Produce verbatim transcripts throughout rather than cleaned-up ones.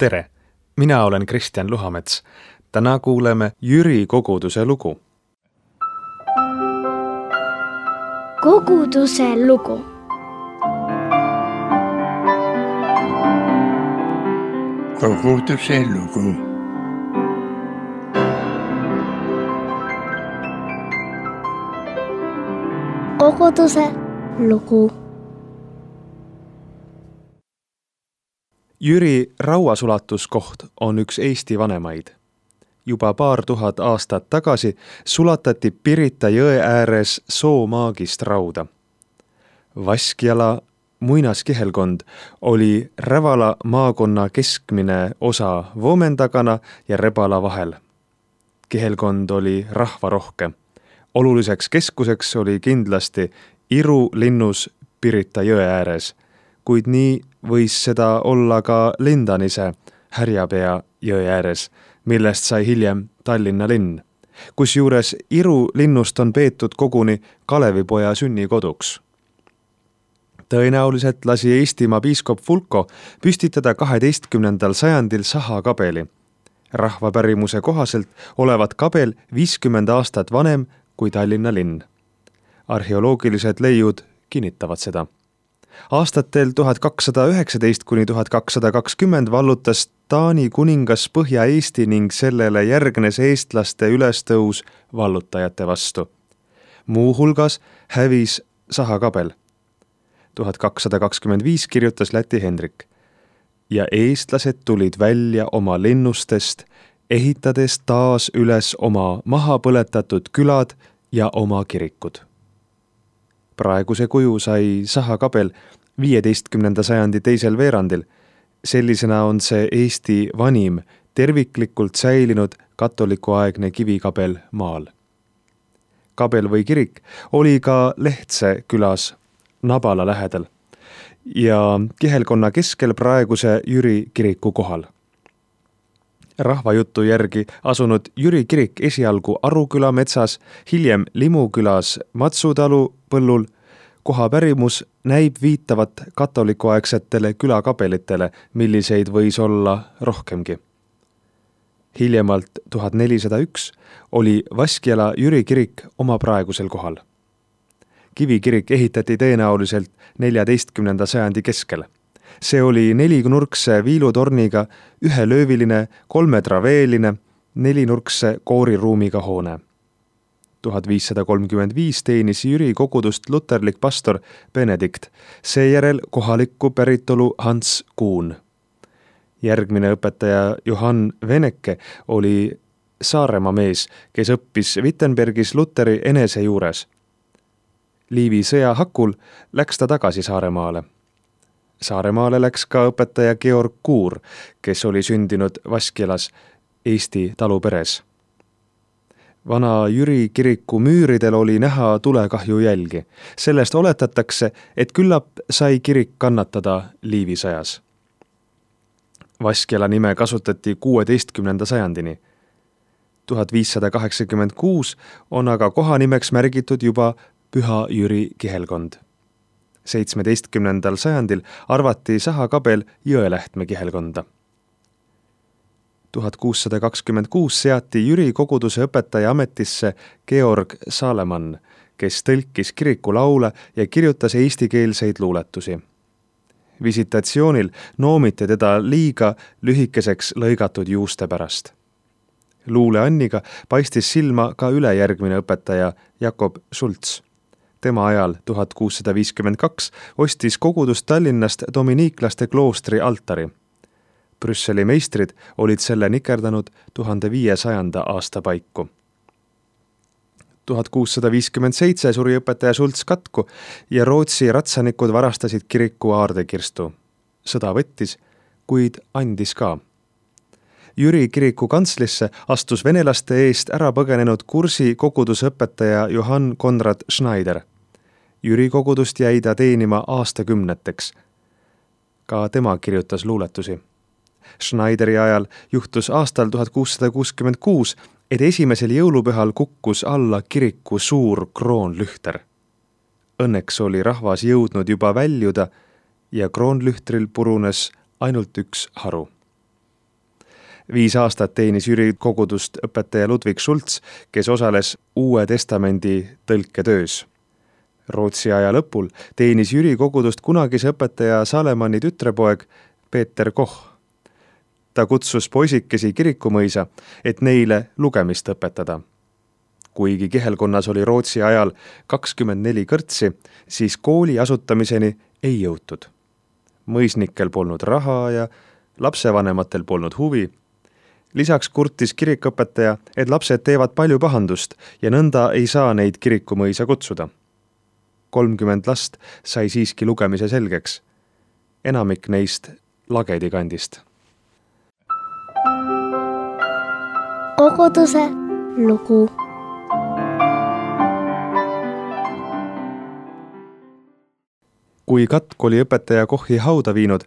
Tere! Mina olen Kristjan Luhamets. Täna kuuleme Jüri koguduse lugu. Koguduse lugu. Koguduse lugu. Koguduse lugu. Jüri rauasulatuskoht on üks Eesti vanemaid. Juba paar tuhat aastat tagasi sulatati Pirita jõe ääres soomaagist rauda. Vaskjala muinaskihelkond oli Rävala maakonna keskmine osa Voomendagana ja Rebala vahel. Kihelkond oli rahvarohke. Oluliseks keskuseks oli kindlasti Iru linnus Pirita jõe ääres, kuid nii võis seda olla ka Lindanise Härjapea jõe ääres, millest sai hiljem Tallinna linn, kus juures Iru linnust on peetud koguni Kalevipoja sünnikoduks. Tõenäoliselt lasi Eestimaa piiskop Fulko püstitada kaheteistkümnendal sajandil Saha kabeli. Rahvapärimuse kohaselt olevat kabel viiskümmend aastat vanem kui Tallinna linn. Arheoloogilised leiud kinnitavad seda. Aastatel tuhat kakssada üheksateist kuni tuhat kakssada kakskümmend vallutas Taani kuningas Põhja-Eesti ning sellele järgnes eestlaste ülestõus vallutajate vastu. Muu hulgas hävis Saha kabel. tuhat kakssada kakskümmend viis kirjutas Läti Hendrik. Ja eestlased tulid välja oma linnustest, ehitades taas üles oma maha põletatud külad ja oma kirikud. Praeguse kuju sai Saha kabel viieteistkümnenda sajandi teisel veerandil. Sellisena on see Eesti vanim terviklikult säilinud katolikuaegne kivikabel maal. Kabel või kirik oli ka Lehtse külas Nabala lähedal ja kihelkonna keskel praeguse Jüri kiriku kohal. Rahvajutu järgi asunud Jüri kirik esialgu Aruküla metsas, hiljem Limukülas Matsutalu põllul, koha pärimus näib viitavat katolikuaegsetele külakabelitele, milliseid võis olla rohkemgi. Hiljemalt tuhat nelisada üks oli Vaskjala Jüri kirik oma praegusel kohal. Kivikirik ehitati tõenäoliselt neljateistkümnenda sajandi keskel. See oli nelinurkse viilutorniga, ühelööviline, kolmetraveeline, nelinurkse kooriruumiga hoone. tuhat viissada kolmkümmend viis teenis Jüri kogudust luterlik pastor Benedikt, seejärel kohalikku päritolu Hans Kuhn. Järgmine õpetaja Johann Veneke oli Saaremaa mees, kes õppis Wittenbergis Luteri enese juures. Liivi sõja hakul läks ta tagasi Saaremaale. Saaremaale läks ka õpetaja Georg Kuur, kes oli sündinud Vaskjalas Eesti taluperes. Vana Jüri kiriku müüridel oli näha tulekahju jälgi. Sellest oletatakse, et küllap sai kirik kannatada Liivi sõjas. Vaskjala nime kasutati kuueteistkümnenda sajandini. tuhat viissada kaheksakümmend kuus on aga kohanimeks märgitud juba Püha Jüri kihelkond. seitsmeteistkümnendal sajandil arvati Saha kabel Jõelähtme kihelkonda. tuhat kuussada kakskümmend kuus seati Jüri koguduse õpetaja ametisse Georg Saalemann, kes tõlkis kiriku laule ja kirjutas eestikeelseid luuletusi. Visitatsioonil noomiti teda liiga lühikeseks lõigatud juuste pärast. Luule Anniga paistis silma ka ülejärgmine õpetaja Jakob Schultz. Tema ajal tuhat kuussada viiskümmend kaks ostis kogudus Tallinnast dominiiklaste kloostri altari. Brüsseli meistrid olid selle nikerdanud tuhande viiesajanda aasta paiku. tuhat kuussada viiskümmend seitse suri õpetaja Schultz katku ja Rootsi ratsanikud varastasid kiriku aardekirstu. Sõda võttis, kuid andis ka. Jüri kiriku kantslisse astus venelaste eest ära põgenenud kursi kogudusõpetaja Johann Konrad Schneider. Jüri kogudust jäi ta teenima aastakümneteks. Ka tema kirjutas luuletusi. Schneideri ajal juhtus aastal tuhat kuussada kuuskümmend kuus, et esimesel jõulupühal kukkus alla kiriku suur kroonlühter. Õnneks oli rahvas jõudnud juba väljuda ja kroonlühtril purunes ainult üks haru. Viis aastat teenis Jüri kogudust õpetaja Ludvig Schultz, kes osales Uue Testamendi tõlketöös. Rootsi aja lõpul teenis Jüri kogudust kunagise õpetaja Salemanni tütrepoeg Peeter Koch. Ta kutsus poisikesi kirikumõisa, et neile lugemist õpetada. Kuigi kihelkonnas oli Rootsi ajal kakskümmend neli kõrtsi, siis kooli asutamiseni ei jõutud. Mõisnikel polnud raha ja lapsevanematel polnud huvi. Lisaks kurtis kirikõpetaja, et lapsed teevad palju pahandust ja nõnda ei saa neid kirikumõisa kutsuda. kolmkümmend last sai siiski lugemise selgeks. Enamik neist Lagedi kandist. Koguduse lugu. Kui katk oli õpetaja Kochi hauda viinud,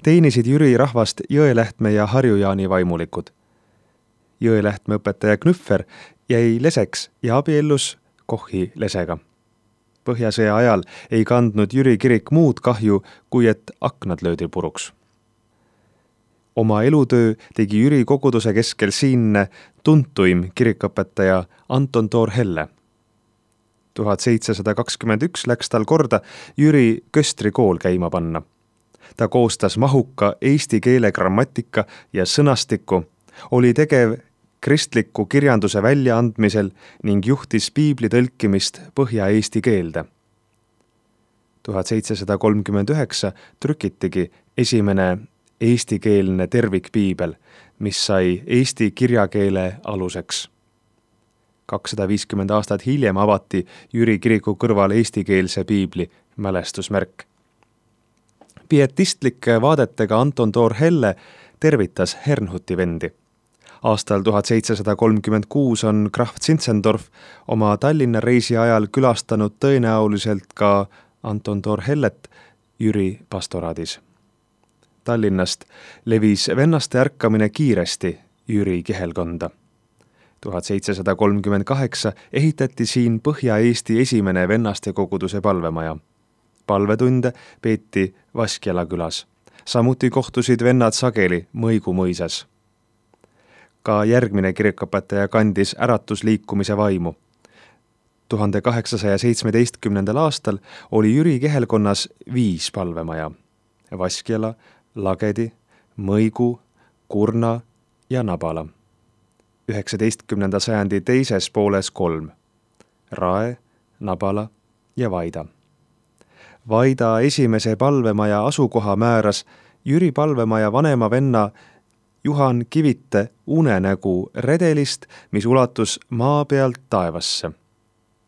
teenisid Jüri rahvast Jõelähtme ja Harjujaani vaimulikud. Jõelähtme õpetaja Knüffer jäi leseks ja abiellus Kochi lesega. Põhjasõja ajal ei kandnud Jüri kirik muud kahju, kui et aknad löödi puruks. Oma elutöö tegi Jüri koguduse keskel siinne tuntuim kirikõpetaja Anton Thor-Helle. tuhat seitsesada kakskümmend üks läks tal korda Jüri Köstri kool käima panna. Ta koostas mahuka eesti keele grammatika ja sõnastiku, oli tegev kristliku kirjanduse väljaandmisel ning juhtis piibli tõlkimist põhja-eesti keelde. tuhat seitsesada kolmkümmend üheksa trükitigi esimene eestikeelne tervikpiibel, mis sai eesti kirjakeele aluseks. kakssada viiskümmend aastat hiljem avati Jüri kiriku kõrval eestikeelse piibli mälestusmärk. Pietistlike vaadetega Anton Thor-Helle tervitas Hernhuti vendi. Aastal tuhat seitsesada kolmkümmend kuus on Graf Zinzendorf oma Tallinna reisi ajal külastanud tõenäoliselt ka Anton Thor-Hellet Jüri pastoraadis. Tallinnast levis vennaste ärkamine kiiresti Jüri kihelkonda. tuhat seitsesada kolmkümmend kaheksa ehitati siin Põhja-Eesti esimene vennaste koguduse palvemaja. Palvetunde peeti Vaskjala külas. Samuti kohtusid vennad sageli Mõigu mõisas. Ka järgmine kirikõpetaja kandis äratusliikumise vaimu. tuhande kaheksasaja seitsmeteistkümnendal aastal oli Jüri kihelkonnas viis palvemaja. Vaskjala, Lagedi, Mõigu, Kurna ja Nabala. üheksateistkümnenda sajandi teises pooles kolm. Rae, Nabala ja Vaida. Vaida esimese palvemaja asukoha määras Jüri palvemaja vanema venna Juhan Kivite unenägu redelist, mis ulatus maa pealt taevasse.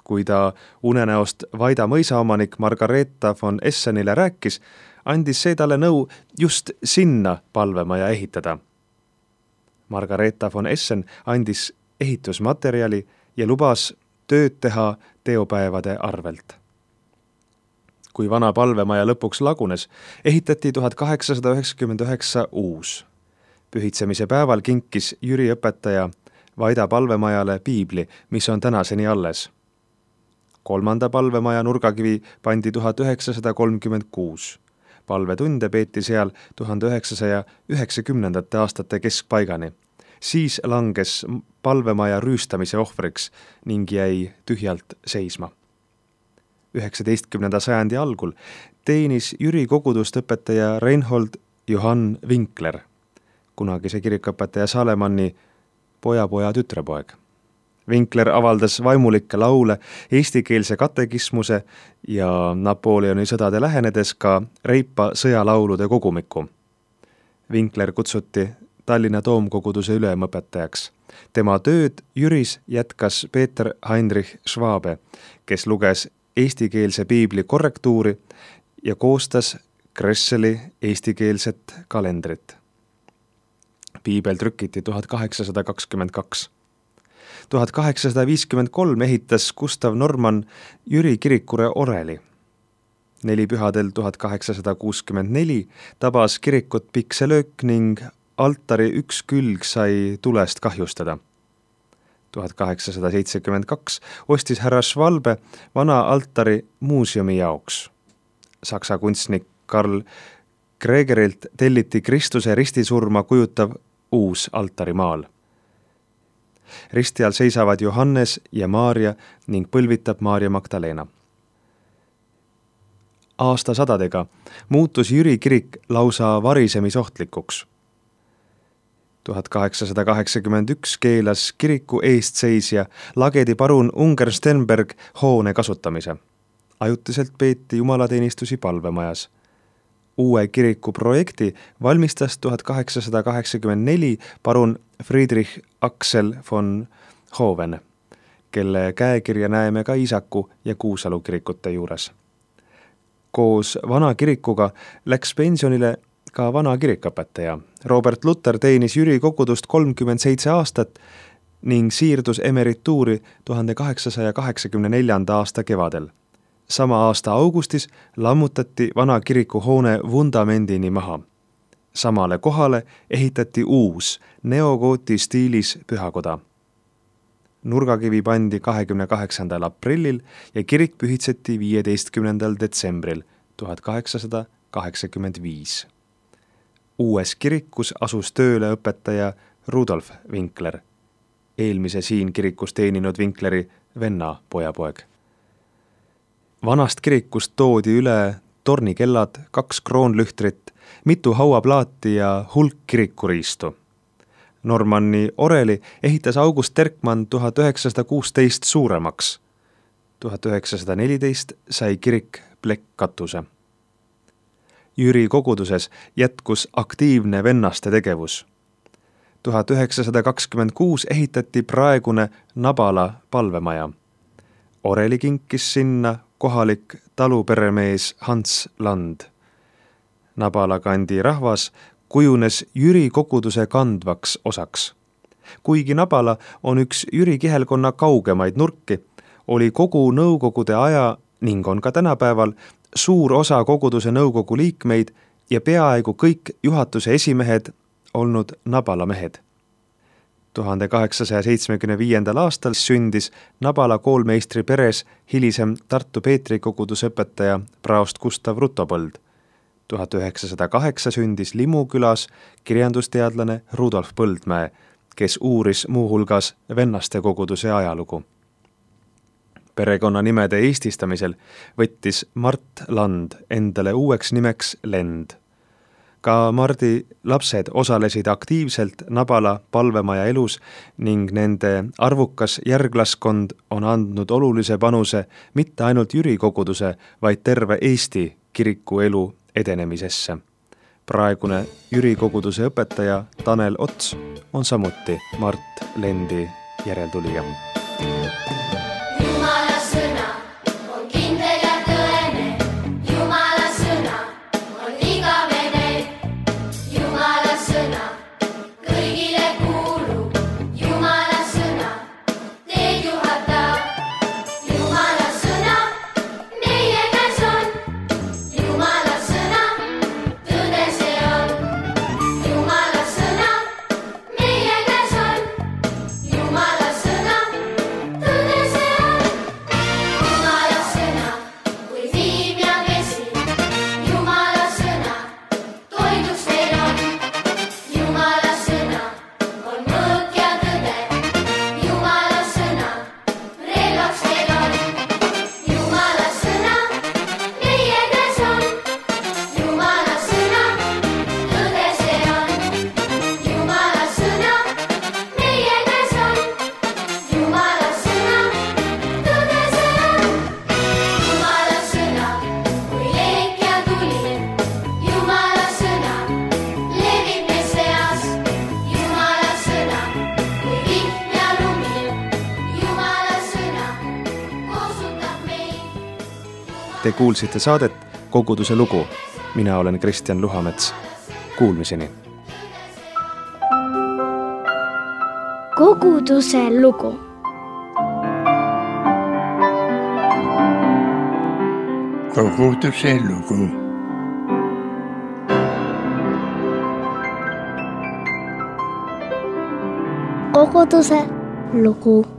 Kui ta unenäost Vaida mõisaomanik Margareeta von Essenile rääkis, andis see talle nõu just sinna palvemaja ehitada. Margareeta von Essen andis ehitusmaterjali ja lubas tööd teha teopäevade arvelt. Kui vana palvemaja lõpuks lagunes, ehitati tuhat kaheksasada üheksakümmend üheksa uus. Pühitsemise päeval kinkis Jüri õpetaja Vaida palvemajale piibli, mis on tänaseni alles. Kolmanda palvemaja nurgakivi pandi tuhat üheksasada kolmkümmend kuus. Palvetunde peeti seal tuhande üheksasaja üheksakümnendate aastate keskpaigani. Siis langes palvemaja rüüstamise ohvriks ning jäi tühjalt seisma. üheksateistkümnenda sajandi algul teenis Jüri kogudust õpetaja Reinhold Johann Winkler, kunagise kirikõpetaja Salemanni pojapoja tütrepoeg. Winkler avaldas vaimulikke laule, eestikeelse katekismuse ja Napoleoni sõdade lähenedes ka Reipa sõjalaulude kogumiku. Winkler kutsuti Tallinna Toomkoguduse ülemõpetajaks. Tema tööd Jüris jätkas Peeter Heinrich Schwabe, kes luges eestikeelse piibli korrektuuri ja koostas Kresseli eestikeelset kalendrit. Piibel trükiti tuhat kaheksasada kakskümmend kaks. tuhat kaheksasada viiskümmend kolm ehitas Gustav Norman Jüri kirikure oreli. Nelipühadel tuhat kaheksasada kuuskümmend neli tabas kirikut pikselöök ning altari üks külg sai tulest kahjustada. tuhat kaheksasada seitsekümmend kaks ostis härra Schwalbe vana altari muuseumi jaoks. Saksa kunstnik Karl Gregerilt telliti Kristuse ristisurma kujutav uus altarimaal. Risti all seisavad Johannes ja Maarja ning põlvitab Maarja Magdalena. Aastasadadega muutus Jüri kirik lausa varisemisohtlikuks. tuhat kaheksasada kaheksakümmend üks keelas kiriku eestseisja Lagedi parun Unger Stenberg hoone kasutamise. Ajutiselt peeti jumalateenistusi palvemajas. Uue kiriku projekti valmistas tuhat kaheksasada kaheksakümmend neli parun Friedrich Axel von Hoven, kelle käekirja näeme ka Iisaku ja Kuusalu kirikute juures. Koos vana kirikuga läks pensionile ka vana kirikõpetaja. Robert Luther teenis Jüri kogudust kolmkümmend seitse aastat ning siirdus emerituuri tuhande kaheksasaja kaheksakümne neljanda aasta kevadel. Sama aasta augustis lammutati vana kiriku hoone vundamendini maha. Samale kohale ehitati uus neogooti stiilis pühakoda. Nurgakivi pandi kahekümne kaheksandal aprillil ja kirik pühitseti viieteistkümnendal detsembril tuhat kaheksasada kaheksakümmend viis. Uues kirikus asus tööle õpetaja Rudolf Winkler, eelmise siin kirikus teeninud Winkleri venna pojapoeg. Vanast kirikust toodi üle tornikellad, kaks kroonlühtrit, mitu hauaplaati ja hulk kirikuriistu. Normanni oreli ehitas August Terkmann tuhat üheksasada kuusteist suuremaks. tuhat üheksasada neliteist sai kirik plekkkatuse. Jüri koguduses jätkus aktiivne vennaste tegevus. tuhat üheksasada kakskümmend kuus ehitati praegune Nabala palvemaja. Oreli kinkis sinna kohalik taluperemees Hans Land. Nabala kandi rahvas kujunes Jüri koguduse kandvaks osaks. Kuigi Nabala on üks Jüri kihelkonna kaugemaid nurki, oli kogu nõukogude aja ning on ka tänapäeval suur osa koguduse nõukogu liikmeid ja peaaegu kõik juhatuse esimehed olnud Nabala mehed. tuhande kaheksasaja seitsmekümne viiendal aastal sündis Nabala koolmeistri peres hilisem Tartu Peetri kogudusõpetaja praost Gustav Rutopõld. tuhat üheksasada kaheksa sündis Limu külas kirjandusteadlane Rudolf Põldmäe, kes uuris muuhulgas vennaste koguduse ajalugu. Perekonna nimede eestistamisel võttis Mart Land endale uueks nimeks Lend. Ka Mardi lapsed osalesid aktiivselt Nabala palvemaja elus ning nende arvukas järglaskond on andnud olulise panuse mitte ainult Jüri koguduse, vaid terve Eesti kiriku elu edenemisesse. Praegune Jüri koguduse õpetaja Tanel Ots on samuti Mart Lendi järeltulija. Te kuulsite saadet Koguduse lugu. Mina olen Kristjan Luhamets. Kuulmiseni. Koguduse lugu. Koguduse lugu. Koguduse lugu.